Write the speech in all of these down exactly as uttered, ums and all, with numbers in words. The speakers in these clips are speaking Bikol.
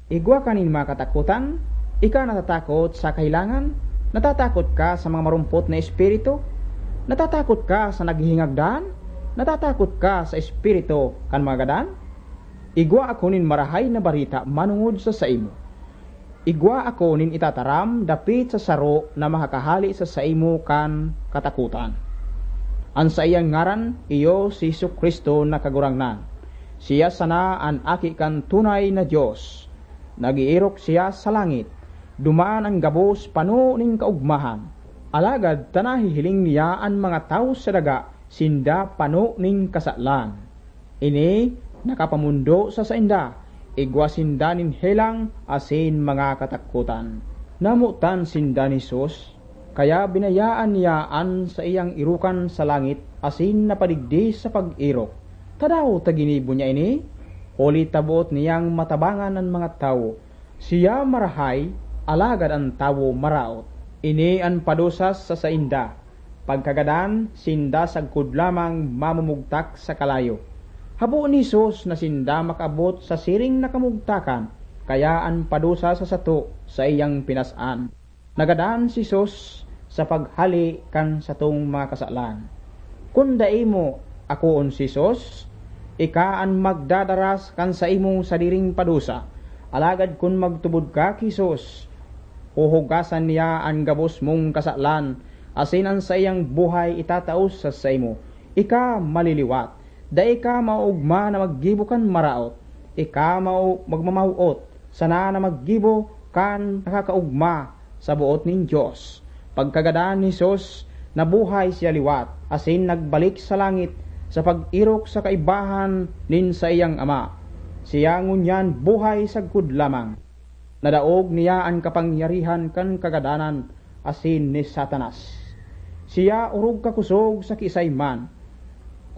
Igwa ka nin mga katakotan? Ika natatakot sa kahelangan? Natatakot ka sa mga marumpot na espiritu? Natatakot ka sa naghihingagdan? Natatakot ka sa espiritu kan mga gadan? Igwa ako nin Marahay na Bareta manongod sa saimo. Igwa ako nin itataram dapit sa saro na makakahale sa saimo kan katakotan. An saiyang ngaran iyo si Jesu-Cristo na Kagurangnan. Siya sana an Aki kan tunay na Dios. Nag-eerok siya sa langit. Duman an gabos pano nin kaogmahan. Alagad ta nahihiling niya an mga tawo sa daga, sinda pano nin kasalan. Ini nakapamondo sa sainda, igwa sinda nin helang asin mga katakotan. Namotan sinda ni Jesus, kaya binayaan niya an saiyang erokan sa langit asin napadigdi sa pag-erok. Tadaw ta ginibo niya ini, huli ta boot niyang matabangan an mga tawo. Siya marahay, alagad an tawo maraot. Ini an padusas sa sainda. Pagkagadan, sinda sagkod lamang mamumugtak sa kalayo. Habo ni Jesus na sinda makaabot sa siring na kamugtakan, kaya an padusa sa sato saiyang pinas-an. Nagadan si Jesus sa paghale kan satong mga kasalan. Kun dai mo akoon si Jesus, ika an magdadaras kan saimong sadiring padusa. Alagad kun magtubod ka ki Jesus, huhugasan niya an gabos mong kasalan, asin an saiyang buhay itatao sa saimo. Ika maliliwat. Dai ka maoogma na maggibo kan maraot. Ika mao-, magmamaw-ot sana na maggibo kan nakakaogma sa boot nin Dios. Pagkagadan ni Jesus, nabuhay siya liwat, asin nagbalik sa langit sa pag-erok sa kaibahan nin saiyang Ama. Siya ngunyan buhay sagkod lamang. Nadaog niya an kapangyarihan kan kagadanan asin ni Satanas. Siya orog kakosog sa kiisay man.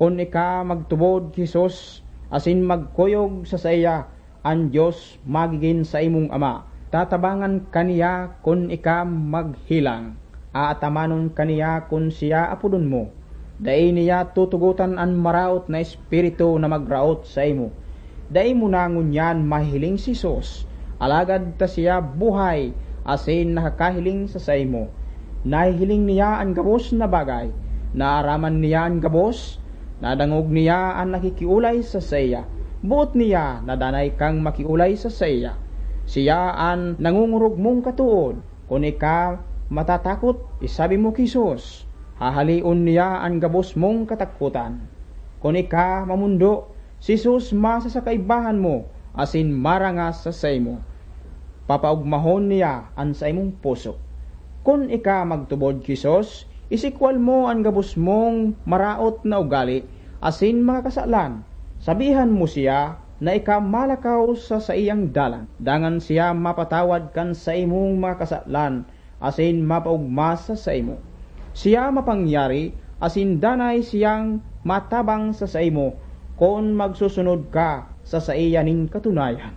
Kun ika magtubod ki Jesus asin magkuyog sa saiya, an Dios magigin saimong Ama. Tatabangan ka niya kun ika maghelang. Aatamanon ka niya kun siya apodon mo. Dai niya tutugotan an maraot na espiritu na magraot saimo. Dai mo na ngunyan mahihiling si Jesus, alagad ta siya buhay asin nakakahiling sa saimo. Nahihiling niya an gabos na bagay. Naaraman niya an gabos. Nadangog niya an nakikiolay sa saiya. Boot niya na danay kang makiolay sa saiya. Siya an nangongorog mong katood. Kun ika matatakot, isabi mo ki Jesus, hahaleon niya an gabos mong katakotan. Kun ika mamondo, si Jesus masa sa kaibahan mo asin marangas sa saimo. Papaogmahon niya an saimong puso. Kun ika magtubod ki Jesus, isikwal mo an gabos mong maraot na ugali asin mga kasalan. Sabihan mo siya na ika malakaw sa saiyang dalan, dangan siya mapatawad kan saimong mga kasalan asin mapaogma sa saimo. Siya mapangyari asin danay siyang matabang sa saimo kun magsusunod ka sa saiya nin katunayan.